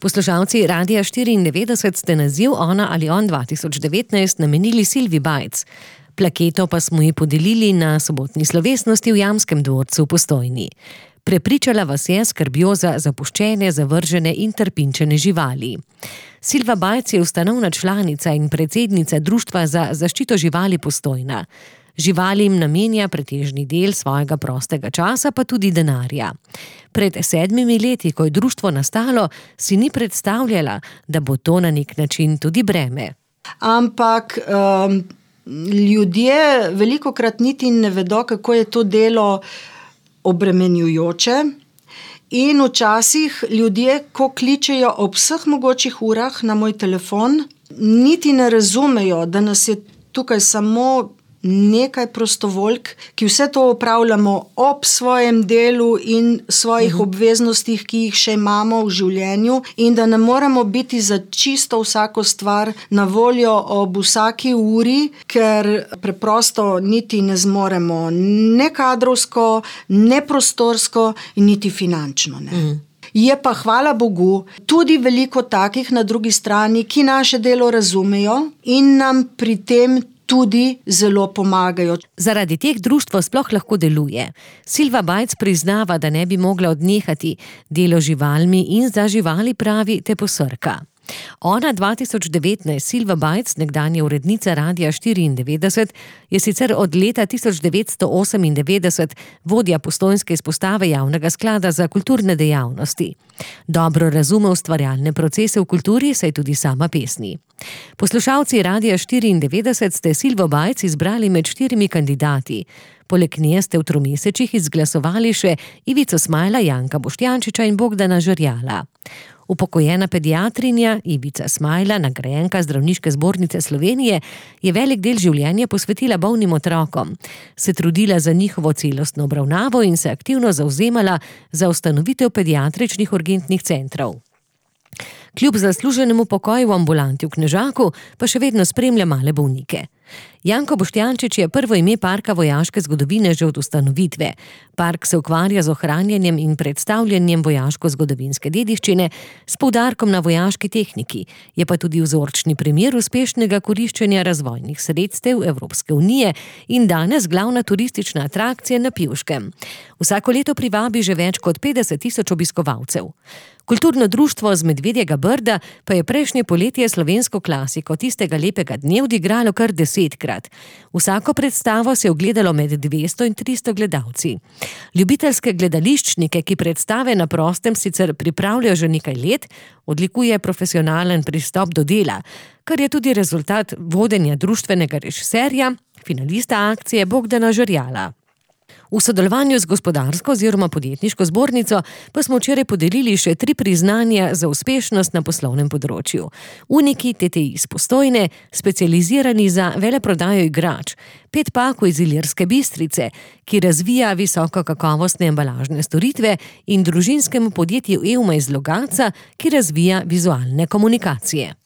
Poslušalci Radia 94 ste naziv Ona ali on 2019 namenili Silvi Bajc. Plaketo pa smo ji podelili na sobotni slovesnosti v Jamskem dvorcu v Postojni. Prepričala vas je skrbjo za zapuščene, zavržene in trpinčene živali. Silva Bajc je ustanovna članica in predsednica Društva za zaščito živali Postojna. Živalim namenja pretežni del svojega prostega časa, pa tudi denarja. Pred 7 leti, ko je društvo nastalo, si ni predstavljala, da bo to na nek način tudi breme. Ampak ljudje velikokrat niti ne vedo, kako je to delo obremenjujoče. In včasih ljudje, ko kličejo ob vseh mogočih urah na moj telefon, niti ne razumejo, da nas je tukaj samo nekaj prostovoljk, ki vse to opravljamo ob svojem delu in svojih obveznostih, ki jih še imamo v življenju, in da ne moremo biti za čisto vsako stvar na voljo ob vsaki uri, ker preprosto niti ne zmoremo ne kadrovsko, ne prostorsko in niti finančno. Ne. Je pa, hvala Bogu, tudi veliko takih na drugi strani, ki naše delo razumejo in nam pri tem tudi zelo pomagajo. Zaradi teh društvo sploh lahko deluje. Silva Bajc priznava, da ne bi mogla odnehati. Delo živalmi in za živali, pravi, te posrka. Ona 2019, Silva Bajc, nekdanja urednica Radia 94, je sicer od leta 1998 vodja postojnske izpostave Javnega sklada za kulturne dejavnosti. Dobro razume ustvarjalne procese v kulturi, saj tudi sama pesni. Poslušalci Radia 94 ste Silvo Bajc izbrali med 4 kandidati. Poleg nje ste v 3 mesecih izglasovali še Ivico Smajla, Janka Boštjančiča in Bogdana Žerjala. Upokojena pediatrinja Ivica Smajla, nagrajenka Zdravniške zbornice Slovenije, je velik del življenja posvetila bolnim otrokom, se trudila za njihovo celostno obravnavo in se aktivno zavzemala za ustanovitev pediatričnih urgentnih centrov. Kljub zasluženemu pokoju v ambulanti v Knežaku pa še vedno spremlja male bolnike. Janko Boštjančič je prvo ime Parka vojaške zgodovine že od ustanovitve. Park se ukvarja z ohranjanjem in predstavljanjem vojaško-zgodovinske dediščine s poudarkom na vojaški tehniki. Je pa tudi vzorčni primer uspešnega koriščenja razvojnih sredstev Evropske unije in danes glavna turistična atrakcija na Pivškem. Vsako leto privabi že več kot 50.000 obiskovalcev. Kulturno društvo z Medvedjega Brda pa je prejšnje poletje slovensko klasiko Tistega lepega dne odigralo kar 10-krat. Vsako predstavo se je ogledalo med 200 in 300 gledalci. Ljubiteljske gledališčnike, ki predstave na prostem sicer pripravljajo že nekaj let, odlikuje profesionalen pristop do dela, kar je tudi rezultat vodenja društvenega režiserja, finalista akcije Bogdana Žerjala. V sodelovanju z Gospodarsko oziroma Podjetniško zbornico pa smo včeraj podelili še 3 priznanja za uspešnost na poslovnem področju. Uniki TTI iz Postojne, specializirani za veleprodajo igrač, Pet Paku iz Ilirske Bistrice, ki razvija visoko kakovostne embalažne storitve, in družinskemu podjetju Euma iz Logatca, ki razvija vizualne komunikacije.